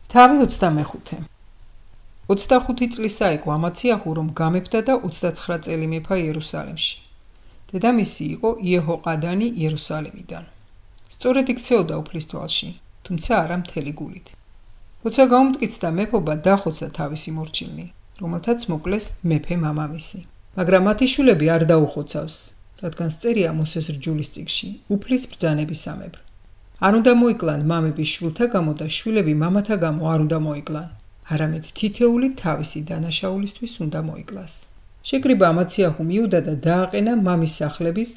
თავი 25. 25 წლისა იყო ამაციაჰუ, რომ გამეფდა და 29 წელი მეფა იერუსალიმში. დედამისი იყო იეჰოყადანი იერუსალიმიდან. სწორედ იქცეოდა უფლისთვალში, თუმცა არა მთელი გულით. როცა გაუმტკიცდა მეფობა, დახოცა თავისი მორჩილნი, რომელთაც მოკლეს მეფე მამამისი. მაგრამ მათი შვილები არ დაუხოცავს, რადგან წერია მოსეს რჯულის წიგნში, უფლის ბრძანებისამებრ. არ უნდა მოიკლან მამების შვილთა გამო და შვილები მამათა გამო არ უნდა მოიკლან, არამედ თითეული თავისი დანაშაულისთვის უნდა მოიკლას. შეკრიბა ამაციაჰუმ იუდა და დააყენა მამის სახლების,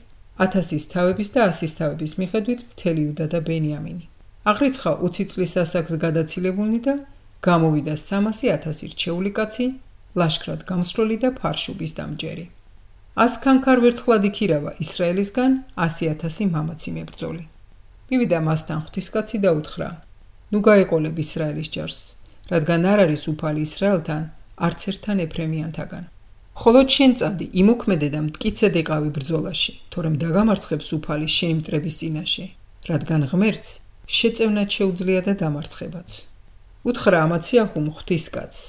1000-ის თავების და 100-ის თავების მიხედვით მთელი იუდა და ბენიამინი. აღრიცხა 20 წლის ასაკს გადაცილებულნი და გამოვიდა 300,000 რჩეული კაცი, ლაშქრად გამსვლელი და ფარშუბის დამჯერი. 100 ქანქარ ვერცხლად იქირავა ისრაელისგან 100,000 მამაცი მებრძოლი. მივიდა მასთან ღვთისკაცი და უთხრა: ნუ გაეყოლებ ისრაელის ჯარს, რადგან არ არის უფალი ისრაელთან, არც ერთთან ეფრემიანთაგან. ხოლო შენ წადი, იმოქმედე და მტკიცე დეყავი ბრძოლაში, თორემ დაგამარცხებს უფალი შენი მტრების წინაშე, რადგან ღმერთს შეწევნად შეუძლია და დამარცხებაც. უთხრა ამაციაჰუმ ღვთისკაცს: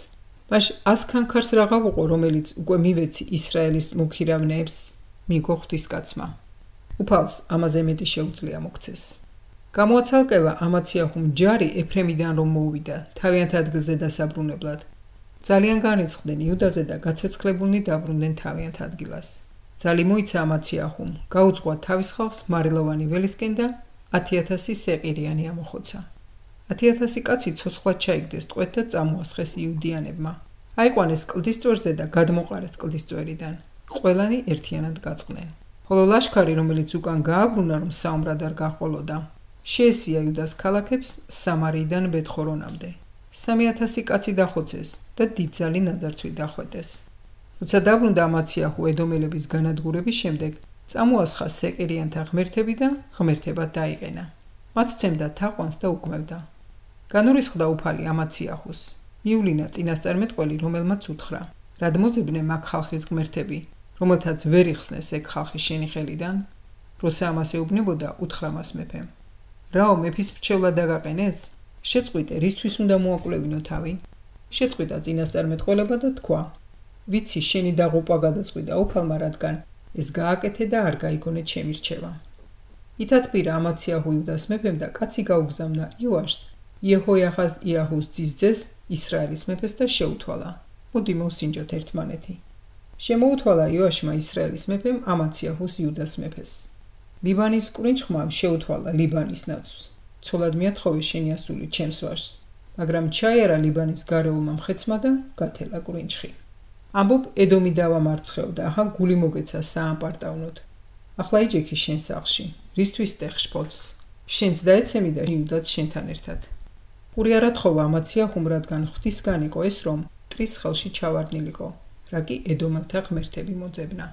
მაშ 100 ქანქარს რაღა ვუყო, რომელიც უკვე მივეცი ისრაელის მოქირავნეებს, მიგო ღვთისკაცმა. უფალს ამაზე მეტი შეუძლია მოგცეს. გამოაცალკევა ამაციაჰუმ ჯარი ეფრემიდან რომ მოუვიდა თავიანთ ადგილზე დასაბრუნებლად. ძალიან განრიცხდნენ იუდაზე და გაცეცხლებულნი დაბრუნდნენ თავიანთ ადგილას. ძალი მოიცა ამაციაჰუმ, გაუძღვა თავის ხალხს მარილოვანი ველისკენ და 10,000 სეყირიანი ამოხოცა. 10,000 კაცი ცოცხლად ჩაიგდეს ტყვედ და წამოასხეს იუდიანებმა. აიყვანეს კლდისწვერზე და გადმოყარეს კლდისწვერიდან. ყველანი ერთიანად გაწყდნენ. ხოლო ლაშქარი, რომელიც უკან გააბრუნა, რომ საომრად არ გაჰყოლოდა, შეესია იუდას ქალაქებს სამარიიდან ბეთხორონამდე. 3,000 კაცი დახოცეს და დიდძალი ნაძარცვით დახვეტეს. როცა დაბრუნდა ამაციაჰუ ედომელების განადგურების შემდეგ, წამოასხა სეყირიანთა ღმერთები და ღმერთებად დაიყენა. მათ ცემდა თაყვანს და უკმევდა. განურისხდა უფალი ამაციაჰუს. მიულინა წინასწარმეტყველი, რომელმაც უთხრა: რად მოძებნე მაგ ხალხის ღმერთები, რომელთაც ვერ იხსნეს ეგ ხალხი შენი ხელიდან? როცა ამას ეუბნებოდა, უთხრა მას მეფემ: რაო მეფის მრჩევლად დაგაყენეს? შეწყვიტე, რისთვის უნდა მოაკვლევინო თავი? შეწყვიტა წინასწარმეტყველება და თქვა: ვიცი შენი დაღუპვა გადაწყვიტა უფალმა, რადგან ეს გააკეთე და არ გაიგონე ჩემი რჩევა. ითათბირა ამაციაჰუ იუდას მეფემ და კაცი გაუგზავნა იოაშს, იეჰოიახაზ იაჰუს ძის ძეს, ისრაელის მეფეს და შეუთვალა: მოდი მოვსინჯოთ ერთმანეთი. შემოუთვალა იოაშმა ისრაელის მეფემ ამაციაჰუს იუდას მეფეს. ლიბანის კვინჩხმა შეუთვალა ლიბანის ნაცვლს: ცოლად მიათხოვე შენი ასული ჩემს ვაჟს, მაგრამ ჩაიარა ლიბანის გარეულმა მხეცმა და გათელა კვინჩხი. ამბობ ედომი დავამარცხეო და ახლა გული მოგეცა საამპარტავნოდ. ახლა იჯექი შენ სახლში, რისთვის ტეხ შფოთს? შენც დაეცემი და იუდაც შენთან ერთად. პური არ ათხოვა ამაციაჰუმ, რადგან ღვთისგან იყო ეს, რომ ტრის ხელში ჩავარდნილიყო, რა კი ედომელთა ღმერთები მოძებნა.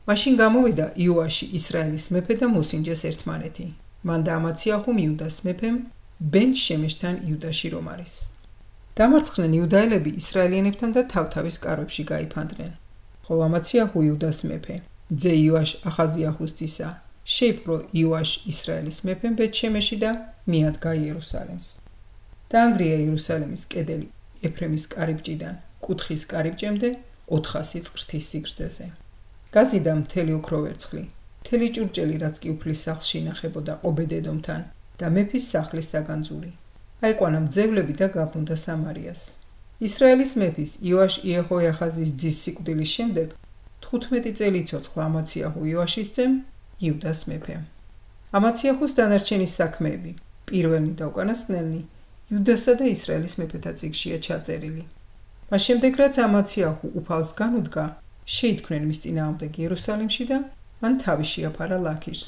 მაშინ გამოვიდა იოაში ისრაელის მეფე და მოსინჯეს ერთმანეთი. მან და ამაციაჰუმ იუდას მეფემ ბენ შემეშთან იუდაში რომ არის. დამარცხდნენ იუდაელები ისრაელიანებთან და თავთავის კარვებში გაიფანტნენ. ხოლო ამაციაჰუ იუდას მეფე, ძე იოაშ ახაზიაჰუს ძისა, შეიპყრო იოაშ ისრაელის მეფემ ბეთ-შემეში და მიადგა იერუსალიმს. დაანგრია იერუსალიმის კედელი ეფრემის კარიბჭიდან კუთხის კარიბჭემდე 400 წრთის სიგრძეზე. გაზიდა მთელი ოქრო ვერცხლი, მთელი ჭურჭელი, რაც კი უფლის სახლში ინახებოდა ობედ-ედომთან და მეფის სახლის საგანძური. აიყვანა მძევლები და გაბრუნდა სამარიას. ისრაელის მეფის იოაშ იეჰოიახაზის ძის სიკვდილის შემდეგ 15 წელი იცოცხლა ამაციაჰუ იოაშის ძემ იუდას მეფემ. ამაციაჰუს დანარჩენი საქმეები, პირველნი და უკანასკნელნი, იუდასა და ისრაელის მეფეთა წიგნშია ჩაწერილი. მას შემდეგ, რაც ამაციაჰუ უფალს განუდგა, შეითქმნენ მის წინააღმდეგ იერუსალიმში და მან თავი შეაფარა ლაქიშს.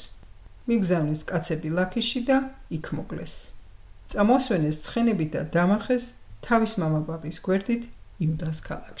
მიგზავნეს კაცები ლაქიშში და იქ მოკლეს. წამოასვენეს ცხენებით და დამარხეს თავის მამაბაბის გვერდით იუდას ქალაქში.